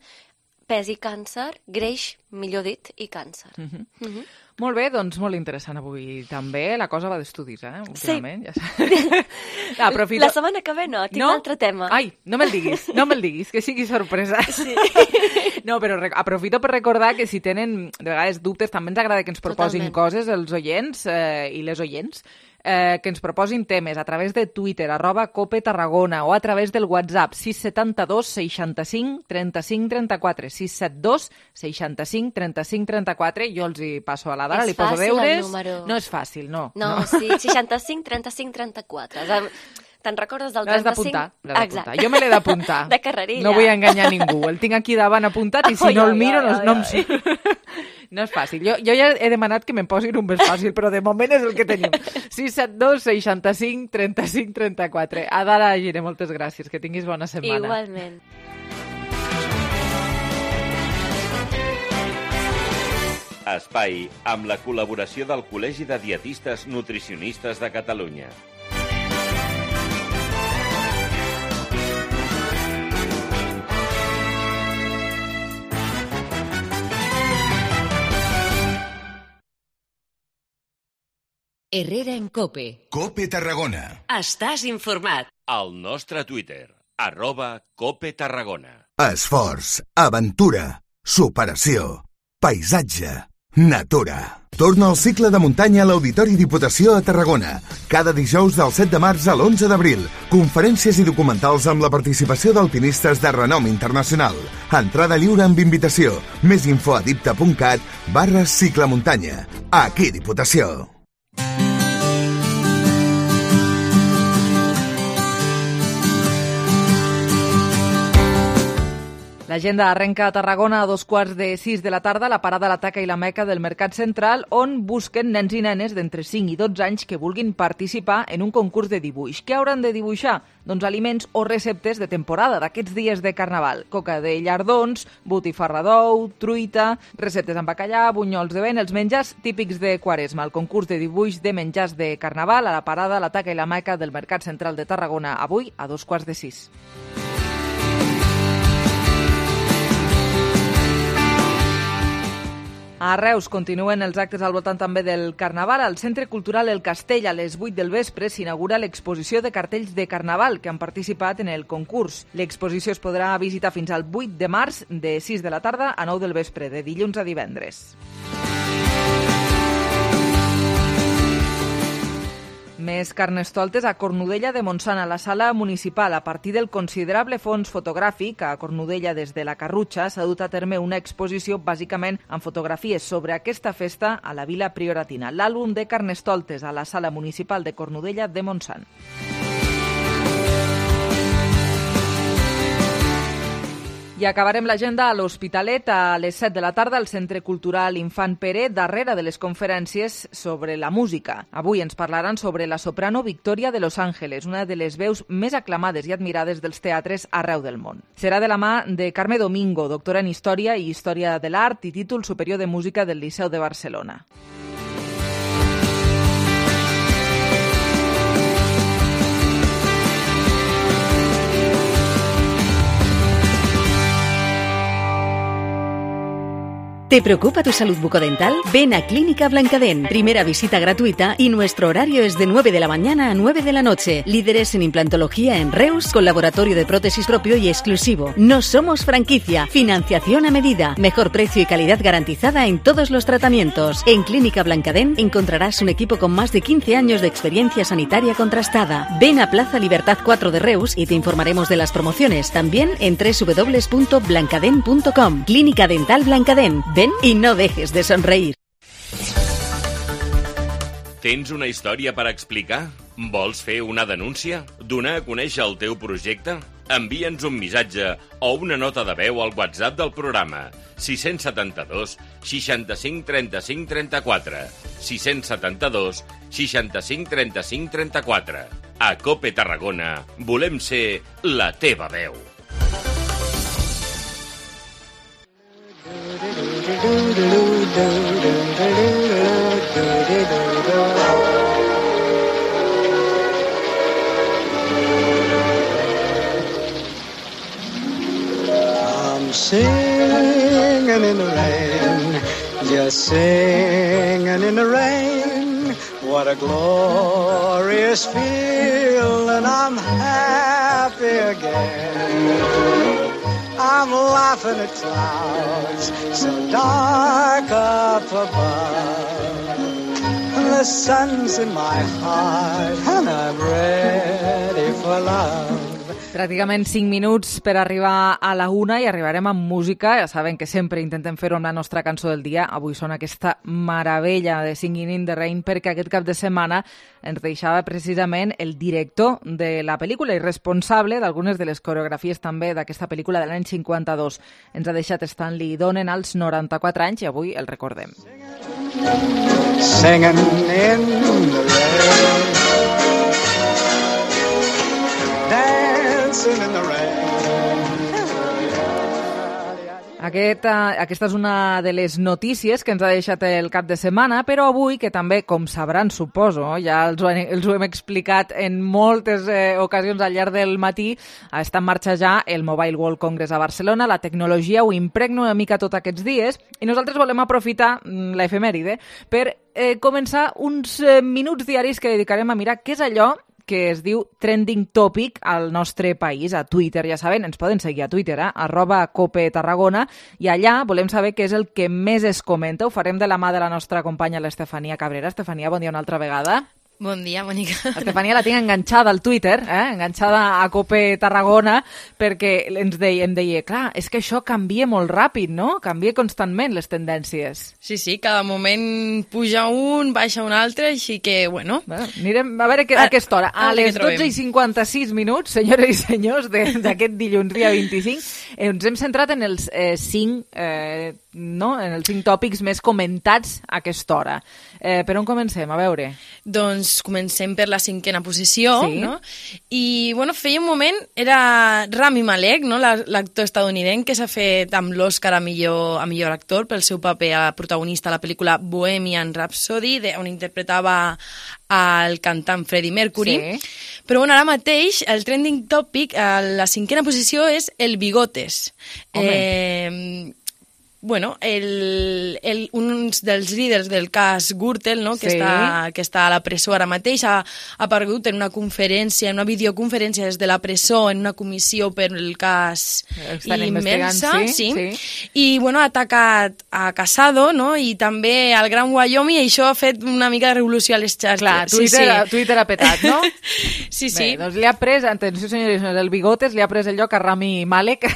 [SPEAKER 13] pes i càncer, greix, millor dit, i càncer.
[SPEAKER 3] Uh-huh. Uh-huh. Molt bé, doncs molt interessant avui també. La cosa va d'estudis, eh? Últimament.
[SPEAKER 13] Sí.
[SPEAKER 3] Ja Aprofito...
[SPEAKER 13] La setmana que ve no, tinc no? un altre tema.
[SPEAKER 3] Ai, no me'l diguis, no me'l diguis, que sigui sorpresa.
[SPEAKER 13] Sí.
[SPEAKER 3] No, però aprofito per recordar que si tenen de vegades dubtes, també ens agrada que ens proposin Totalment. coses els oients eh, i les oients. eh, que ens proposin temes a través de Twitter, arroba Cope Tarragona, o a través del WhatsApp sis set dos seixanta-cinc trenta-cinc trenta-quatre, sis set dos seixanta-cinc trenta-cinc trenta-quatre. Jo els hi passo a la Dara, li poso deures. No és fàcil, no.
[SPEAKER 13] No, no. Sí, seixanta-cinc trenta-cinc trenta-quatre. Te'n recordes del trenta-cinc?
[SPEAKER 3] L'has d'apuntar, l'has d'apuntar. Jo me l'he d'apuntar.
[SPEAKER 13] De carrerilla.
[SPEAKER 3] No vull enganyar ningú. El tinc aquí davant apuntat i si
[SPEAKER 13] Ai,
[SPEAKER 3] no
[SPEAKER 13] ai,
[SPEAKER 3] el miro
[SPEAKER 13] ai,
[SPEAKER 3] no,
[SPEAKER 13] ai,
[SPEAKER 3] no em
[SPEAKER 13] ai.
[SPEAKER 3] surt. No és fàcil. Jo, jo ja he demanat que me'n posin un més fàcil, però de moment és el que tenim. sis set dos seixanta-cinc trenta-cinc trenta-quatre. Adara Giner, moltes gràcies. Que tinguis bona setmana.
[SPEAKER 13] Igualment.
[SPEAKER 6] Espai amb la col·laboració del Col·legi de Dietistes Nutricionistes de Catalunya.
[SPEAKER 2] Herrera en Cope.
[SPEAKER 14] Cope Tarragona.
[SPEAKER 2] Estàs informat.
[SPEAKER 6] Al nostre Twitter, arroba Cope Tarragona.
[SPEAKER 14] Esforç, aventura, superació, paisatge, natura. Torna al cicle de muntanya a l'Auditori Diputació a Tarragona. Cada dijous del set de març a l'onze d'abril. Conferències i documentals amb la participació d'alpinistes de renom internacional. Entrada lliure amb invitació. Més info a dipta.cat barra ciclemuntanya. Aquí Diputació.
[SPEAKER 3] L'agenda arrenca a Tarragona a dos quarts de sis de la tarda, la parada La Taca i la Meca del Mercat Central, on busquen nens i nenes d'entre cinc i dotze anys que vulguin participar en un concurs de dibuix. Què hauran de dibuixar? Doncs aliments o receptes de temporada, d'aquests dies de Carnaval. Coca de llardons, botifarra d'ou, truita, receptes amb bacallà, bunyols de vent, els menjars típics de Quaresma. El concurs de dibuix de menjars de Carnaval a la parada La Taca i la Meca del Mercat Central de Tarragona, avui a dos quarts de sis. A Reus continuen els actes al voltant també del Carnaval. Al Centre Cultural El Castell, a les vuit del vespre, s'inaugura l'exposició de cartells de Carnaval que han participat en el concurs. L'exposició es podrà visitar fins al vuit de març, de sis de la tarda a nou del vespre, de dilluns a divendres. Més carnestoltes a Cornudella de Montsant, a la sala municipal. A partir del considerable fons fotogràfic, a Cornudella des de la Carrutxa s'ha dut a terme una exposició bàsicament amb fotografies sobre aquesta festa a la Vila Prioratina. L'àlbum de carnestoltes a la sala municipal de Cornudella de Montsant. I acabarem l'agenda a l'Hospitalet a les set de la tarda al Centre Cultural Infant Pere, darrere de les conferències sobre la música. Avui ens parlaran sobre la soprano Victoria de Los Ángeles, una de les veus més aclamades i admirades dels teatres arreu del món. Serà de la mà de Carme Domingo, doctora en Història i Història de l'Art i títol superior de Música del Liceu de Barcelona.
[SPEAKER 15] ¿Te preocupa tu salud bucodental? Ven a Clínica Blancadén. Primera visita gratuita y nuestro horario es de nueve de la mañana a nueve de la noche. Líderes en implantología en Reus, con laboratorio de prótesis propio y exclusivo. No somos franquicia. Financiación a medida. Mejor precio y calidad garantizada en todos los tratamientos. En Clínica Blancadén encontrarás un equipo con más de quince años de experiencia sanitaria contrastada. Ven a Plaza Libertad cuatro de Reus y te informaremos de las promociones. También en doble u doble u doble u punto blancadén punto com. Clínica Dental Blancadén. Ven y no dejes de sonreír.
[SPEAKER 6] Tens una història per explicar? Vols fer una denúncia? Donar a conèixer el teu projecte? Envia'ns un missatge o una nota de veu al WhatsApp del programa sis set dos seixanta-cinc trenta-cinc trenta-quatre sis set dos seixanta-cinc trenta-cinc trenta-quatre. A Cope Tarragona volem ser la teva veu.
[SPEAKER 16] I'm singing in the rain, just singing in the rain. What a glorious feeling, I'm happy again. I'm laughing at clouds so dark up above. the sun's in my heart and I'm ready for love.
[SPEAKER 3] Pràcticament cinc minuts per arribar a la una i arribarem amb música. Ja saben que sempre intentem fer-ho amb la nostra cançó del dia. Avui sona aquesta meravella de Singing in the Rain perquè aquest cap de setmana ens deixava precisament el director de la pel·lícula i responsable d'algunes de les coreografies també d'aquesta pel·lícula de l'any cinquanta-dos. Ens ha deixat Stanley Donen als noranta-quatre anys i avui el recordem.
[SPEAKER 16] Singing in the rain, dancing in the rain.
[SPEAKER 3] Aquest, uh, aquesta és una de les notícies que ens ha deixat el cap de setmana, però avui, que també, com sabran, suposo, ja els ho, els ho hem explicat en moltes eh, ocasions al llarg del matí, està en marxa ja el Mobile World Congress a Barcelona, la tecnologia ho impregna una mica tots aquests dies, i nosaltres volem aprofitar l'efemèride per eh, començar uns eh, minuts diaris que dedicarem a mirar què és allò que es diu Trending Topic al nostre país, a Twitter, ja saben, ens poden seguir a Twitter, eh? arroba Cope Tarragona, i allà volem saber què és el que més es comenta. Ho farem de la mà de la nostra companya, l'Estefania Cabrera. Estefania, bon dia una altra vegada.
[SPEAKER 8] Bon dia, bonica.
[SPEAKER 3] Estefania la tinc enganxada al Twitter, eh? enganxada a Cope Tarragona, perquè ens deia, em deia, clar, és que això canvia molt ràpid, no? Canvia constantment les tendències.
[SPEAKER 8] Sí, sí, cada moment puja un, baixa un altre, així que, bueno...
[SPEAKER 3] bueno anirem a veure que, a aquesta hora. A, a les dotze i cinquanta-sis minuts, senyores i senyors, d'aquest dilluns dia vint-i-cinc, eh, ens hem centrat en els eh, cinc... Eh, no? en els cinc tòpics més comentats a aquesta hora. Eh, per on comencem? A veure.
[SPEAKER 8] Doncs comencem per la cinquena posició,
[SPEAKER 3] sí.
[SPEAKER 8] no? I, bueno, feia un moment, era Rami Malek, no? l'actor estadounidenc que s'ha fet amb l'Oscar a millor, a millor actor pel seu paper a protagonista a la pel·lícula Bohemian Rhapsody, de, on interpretava el cantant Freddie Mercury.
[SPEAKER 3] Sí.
[SPEAKER 8] Però, bueno, ara mateix el trending topic, a la cinquena posició, és el bigotes.
[SPEAKER 3] Home.
[SPEAKER 8] Eh... Bueno, el, el, un dels líders del cas Gürtel, no? que,
[SPEAKER 3] sí.
[SPEAKER 8] està, que està a la presó ara mateix, ha, ha aparegut en una conferència, en una videoconferència des de la presó, en una comissió per el cas Immersa,
[SPEAKER 3] sí,
[SPEAKER 8] sí.
[SPEAKER 3] sí.
[SPEAKER 8] I bueno, ha atacat a Casado, no? I també al Gran Wyoming, i això ha fet una mica de revolució a les xarxes.
[SPEAKER 3] Clar, Twitter,
[SPEAKER 8] sí,
[SPEAKER 3] sí. Twitter ha petat, no?
[SPEAKER 8] sí, sí.
[SPEAKER 3] Bé, doncs li ha pres, atenció senyors, el bigotes, li ha pres el lloc a Rami Malek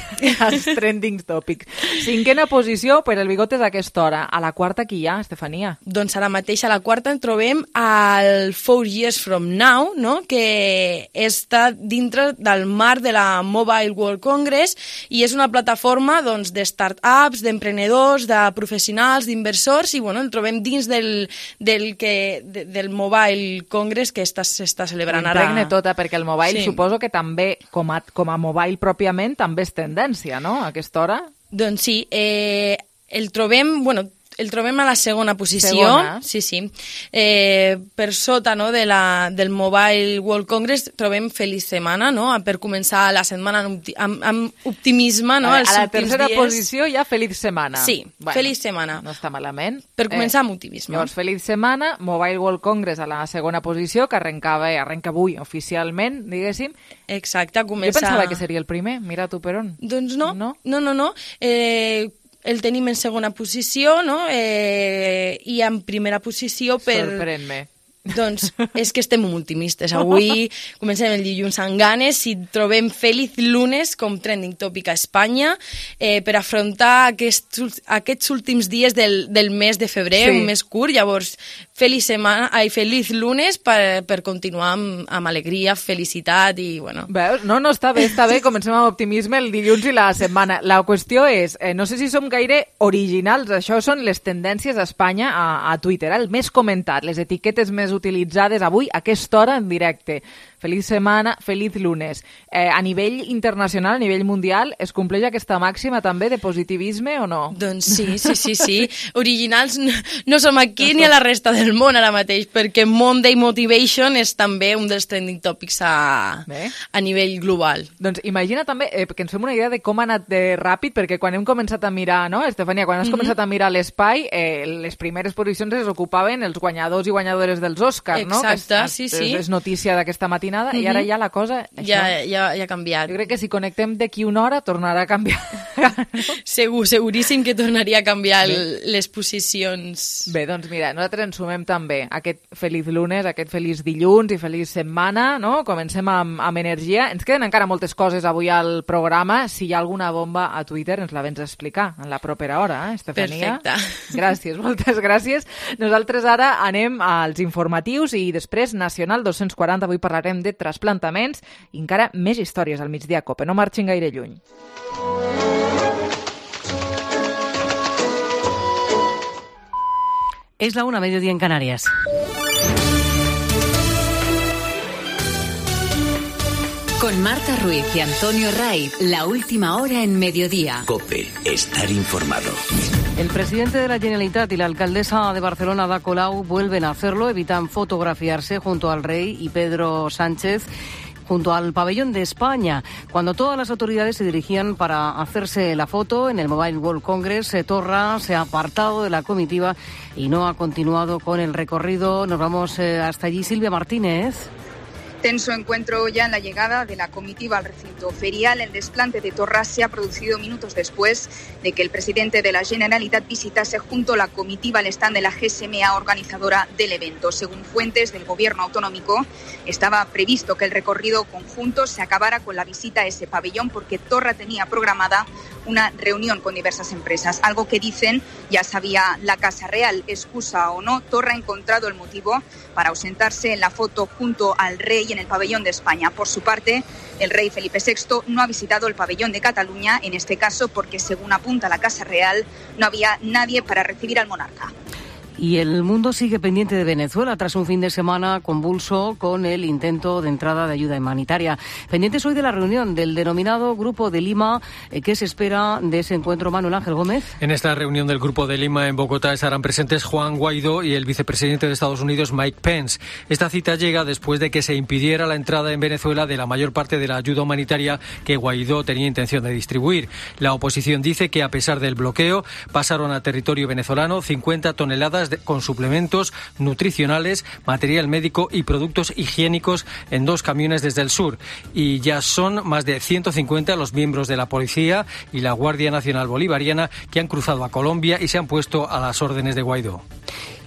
[SPEAKER 3] als trending topics. Cinquena posició per el bigotes a aquesta hora. A la quarta qui hi ha, Estefania?
[SPEAKER 8] Doncs ara mateix a la quarta en trobem el Four Years From Now, no? que està dintre del marc de la Mobile World Congress i és una plataforma doncs, de start-ups, d'emprenedors, de professionals, d'inversors i bueno, el trobem dins del, del, que, de, del Mobile Congress que s'està celebrant ara.
[SPEAKER 3] Impregne tota, perquè el mobile
[SPEAKER 8] sí.
[SPEAKER 3] suposo que també, com a, com a mobile pròpiament, també és tendència, no?, a aquesta hora?
[SPEAKER 8] Doncs sí, eh, el trobem, bueno, el trobem a la segona posició.
[SPEAKER 3] Segona.
[SPEAKER 8] Sí, sí. Eh, per sota no, de la, del Mobile World Congress trobem Feliç Setmana, no? Per començar la setmana amb, amb, amb optimisme, no?
[SPEAKER 3] A,
[SPEAKER 8] Els
[SPEAKER 3] a la tercera
[SPEAKER 8] dies.
[SPEAKER 3] posició hi ha Feliç Setmana.
[SPEAKER 8] Sí,
[SPEAKER 3] bueno,
[SPEAKER 8] Feliç Setmana.
[SPEAKER 3] No està malament.
[SPEAKER 8] Per començar
[SPEAKER 3] eh,
[SPEAKER 8] amb optimisme.
[SPEAKER 3] Llavors, Feliç Setmana, Mobile World Congress a la segona posició, que arrencava, arrenca avui oficialment, diguéssim.
[SPEAKER 8] Exacte, comença...
[SPEAKER 3] Jo pensava que seria el primer, mira tu per on.
[SPEAKER 8] Doncs no,
[SPEAKER 3] no,
[SPEAKER 8] no, no. no. Eh, el tenim en segona posició, no? Eh, i en primera posició per...
[SPEAKER 3] Sorprèn-me.
[SPEAKER 8] Doncs és que estem molt optimistes. Avui comencem el dilluns amb ganes i trobem Feliz Lunes com trending topic a Espanya eh, per afrontar aquests, aquests últims dies del, del mes de febrer, sí. un mes curt. Llavors, feliç setmana, ai, Feliz Lunes per, per continuar amb, amb alegria, felicitat i, bueno...
[SPEAKER 3] Veus? No, no, està bé, està bé. Comencem amb optimisme el dilluns i la setmana. La qüestió és, eh, no sé si som gaire originals, això són les tendències a Espanya a, a Twitter, el més comentat, les etiquetes més utilitzades avui a aquesta hora en directe. Feliç setmana, feliç lunes. Eh, a nivell internacional, a nivell mundial, es compleix aquesta màxima també de positivisme o no?
[SPEAKER 8] Doncs sí, sí, sí, sí. Originals no, no som aquí ni a la resta del món ara mateix, perquè Monday Motivation és també un dels trending topics a, a nivell global.
[SPEAKER 3] Doncs imagina també, eh, que ens fem una idea de com ha anat de ràpid, perquè quan hem començat a mirar, no, Estefania, quan has mm-hmm. començat a mirar l'espai, eh, les primeres posicions es ocupaven els guanyadors i guanyadores dels Oscars, no?
[SPEAKER 8] Exacte,
[SPEAKER 3] que és,
[SPEAKER 8] sí, sí.
[SPEAKER 3] És notícia d'aquesta matinada matinada,
[SPEAKER 8] Mhm.
[SPEAKER 3] i ara ja la cosa... Això,
[SPEAKER 8] Ja, ja, ja ha canviat.
[SPEAKER 3] Jo crec que si connectem d'aquí una hora tornarà a canviar.
[SPEAKER 8] Segur, seguríssim que tornaria a canviar el, les posicions.
[SPEAKER 3] Bé, doncs mira, nosaltres ens sumem també aquest feliç lunes, aquest feliç dilluns i feliç setmana, no? Comencem amb, amb energia. Ens queden encara moltes coses avui al programa. Si hi ha alguna bomba a Twitter ens la vens a explicar en la propera hora, eh, Estefania?
[SPEAKER 8] Perfecte.
[SPEAKER 3] Gràcies, moltes gràcies. Nosaltres ara anem als informatius i després Nacional dos-cents quaranta. Avui parlarem de trasplantaments i encara més històries al migdia Cope. No marxin gaire lluny.
[SPEAKER 17] Es la una, mediodía en Canarias.
[SPEAKER 2] Con Marta Ruiz y Antonio Ray, la última hora en mediodía.
[SPEAKER 18] COPE, estar informado.
[SPEAKER 17] El presidente de la Generalitat y la alcaldesa de Barcelona, Ada Colau, vuelven a hacerlo, evitan fotografiarse junto al rey y Pedro Sánchez junto al pabellón de España. Cuando todas las autoridades se dirigían para hacerse la foto en el Mobile World Congress, Torra se ha apartado de la comitiva y no ha continuado con el recorrido. Nos vamos eh, hasta allí. Silvia Martínez.
[SPEAKER 19] Tenso encuentro ya en la llegada de la comitiva al recinto ferial. El desplante de Torra se ha producido minutos después de que el presidente de la Generalitat visitase junto a la comitiva el stand de la G S M A organizadora del evento. Según fuentes del gobierno autonómico, estaba previsto que el recorrido conjunto se acabara con la visita a ese pabellón porque Torra tenía programada una reunión con diversas empresas, algo que dicen ya sabía la Casa Real. Excusa o no, Torra ha encontrado el motivo para ausentarse en la foto junto al rey en el pabellón de España. Por su parte, el rey Felipe sexto no ha visitado el pabellón de Cataluña, en este caso porque, según apunta la Casa Real, no había nadie para recibir al monarca.
[SPEAKER 17] Y el mundo sigue pendiente de Venezuela tras un fin de semana convulso con el intento de entrada de ayuda humanitaria. Pendientes hoy de la reunión del denominado Grupo de Lima. ¿Qué se espera de ese encuentro, Manuel Ángel Gómez?
[SPEAKER 20] En esta reunión del Grupo de Lima en Bogotá estarán presentes Juan Guaidó y el vicepresidente de Estados Unidos, Mike Pence. Esta cita llega después de que se impidiera la entrada en Venezuela de la mayor parte de la ayuda humanitaria que Guaidó tenía intención de distribuir. La oposición dice que, a pesar del bloqueo, pasaron a territorio venezolano cincuenta toneladas de, con suplementos nutricionales, material médico y productos higiénicos en dos camiones desde el sur. Y ya son más de ciento cincuenta los miembros de la policía y la Guardia Nacional Bolivariana que han cruzado a Colombia y se han puesto a las órdenes de Guaidó.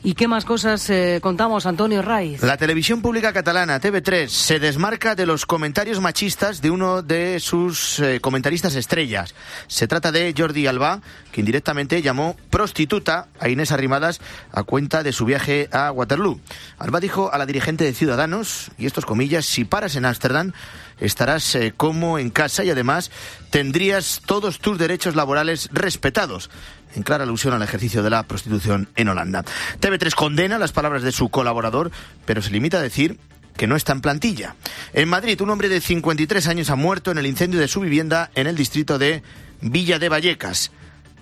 [SPEAKER 17] ¿Y qué más cosas eh, contamos, Antonio Raiz?
[SPEAKER 21] La televisión pública catalana, T V tres, se desmarca de los comentarios machistas de uno de sus eh, comentaristas estrellas. Se trata de Jordi Albá, que indirectamente llamó prostituta a Inés Arrimadas a cuenta de su viaje a Waterloo. Albá dijo a la dirigente de Ciudadanos, y estos comillas, si paras en Ámsterdam, estarás eh, como en casa y además tendrías todos tus derechos laborales respetados, en clara alusión al ejercicio de la prostitución en Holanda. T V tres condena las palabras de su colaborador, pero se limita a decir que no está en plantilla. En Madrid, un hombre de cincuenta y tres años ha muerto en el incendio de su vivienda en el distrito de Villa de Vallecas.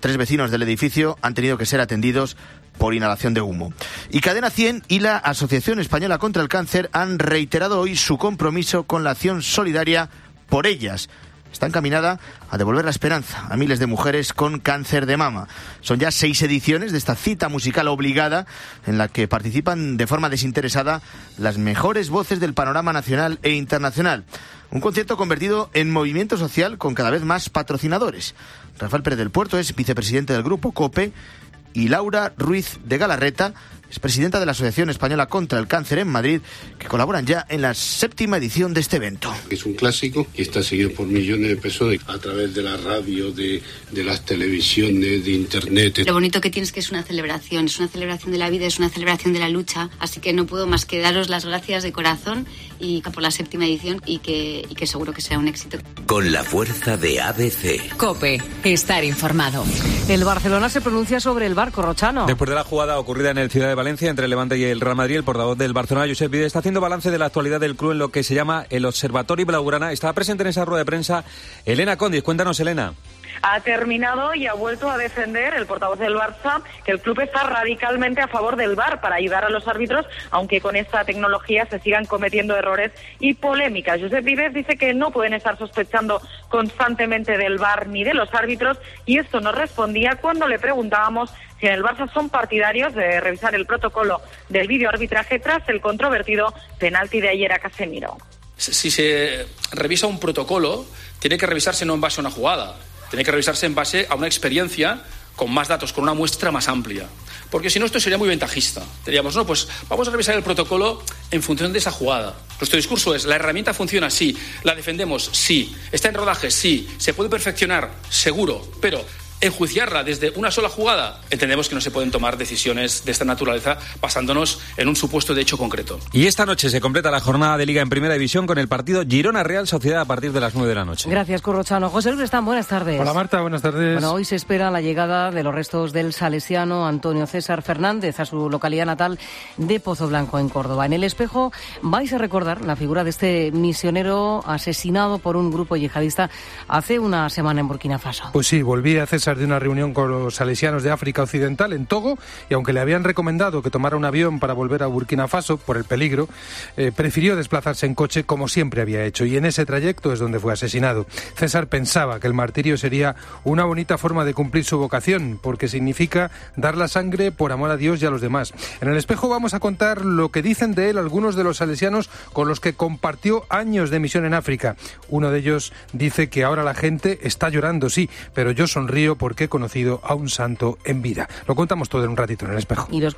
[SPEAKER 21] Tres vecinos del edificio han tenido que ser atendidos por inhalación de humo. Y Cadena cien y la Asociación Española contra el Cáncer han reiterado hoy su compromiso con la acción solidaria por ellas. Está encaminada a devolver la esperanza a miles de mujeres con cáncer de mama. Son ya seis ediciones de esta cita musical obligada en la que participan de forma desinteresada las mejores voces del panorama nacional e internacional. Un concierto convertido en movimiento social con cada vez más patrocinadores. Rafael Pérez del Puerto es vicepresidente del Grupo COPE y Laura Ruiz de Galarreta es presidenta de la Asociación Española contra el Cáncer en Madrid, que colaboran ya en la séptima edición de este evento.
[SPEAKER 22] Es un clásico y está seguido por millones de personas a través de la radio, de, de las televisiones, de internet.
[SPEAKER 23] Lo bonito que tiene es que es una celebración, es una celebración de la vida, es una celebración de la lucha, así que no puedo más que daros las gracias de corazón y por la séptima edición y que, y que seguro que será un éxito.
[SPEAKER 18] Con la fuerza de A B C.
[SPEAKER 2] COPE, estar informado.
[SPEAKER 17] El Barcelona se pronuncia sobre el barco Rochano.
[SPEAKER 24] Después de la jugada ocurrida en el Ciudad de Valencia entre el Levante y el Real Madrid, el portavoz del Barcelona, Josep Vide, está haciendo balance de la actualidad del club en lo que se llama el Observatorio Blaugrana. Estaba presente en esa rueda de prensa Elena Condis. Cuéntanos, Elena.
[SPEAKER 25] Ha terminado y ha vuelto a defender el portavoz del Barça que el club está radicalmente a favor del V A R para ayudar a los árbitros, aunque con esta tecnología se sigan cometiendo errores y polémicas. Josep Vives dice que no pueden estar sospechando constantemente del V A R ni de los árbitros, y esto nos respondía cuando le preguntábamos si en el Barça son partidarios de revisar el protocolo del videoarbitraje tras el controvertido penalti de ayer a Casemiro.
[SPEAKER 1] si se revisa un protocolo, tiene que revisarse no en base a una jugada, tiene que revisarse en base a una experiencia con más datos, con una muestra más amplia. Porque si no, esto sería muy ventajista. Diríamos, no, pues vamos a revisar el protocolo en función de esa jugada. Nuestro discurso es, la herramienta funciona, sí. La defendemos, sí. Está en rodaje, sí. Se puede perfeccionar, seguro. Pero enjuiciarla desde una sola jugada, entendemos que no se pueden tomar decisiones de esta naturaleza basándonos en un supuesto de hecho concreto.
[SPEAKER 24] Y esta noche se completa la jornada de Liga en Primera División con el partido Girona-Real Sociedad a partir de las nueve de la noche.
[SPEAKER 17] Gracias, Corrochano. José Luis Están, buenas tardes.
[SPEAKER 4] Hola, Marta, buenas tardes.
[SPEAKER 17] Bueno, hoy se espera la llegada de los restos del salesiano Antonio César Fernández a su localidad natal de Pozo Blanco, en Córdoba. En El Espejo vais a recordar la figura de este misionero asesinado por un grupo yihadista hace una semana en Burkina Faso.
[SPEAKER 4] Pues sí, volvía César de una reunión con los salesianos de África Occidental en Togo, y aunque le habían recomendado que tomara un avión para volver a Burkina Faso por el peligro, eh, prefirió desplazarse en coche como siempre había hecho, y en ese trayecto es donde fue asesinado. César pensaba que el martirio sería una bonita forma de cumplir su vocación, porque significa dar la sangre por amor a Dios y a los demás. En El Espejo vamos a contar lo que dicen de él algunos de los salesianos con los que compartió años de misión en África. Uno de ellos dice que ahora la gente está llorando, sí, pero yo sonrío porque he conocido a un santo en vida. Lo contamos todo en un ratito en El Espejo.
[SPEAKER 17] Y los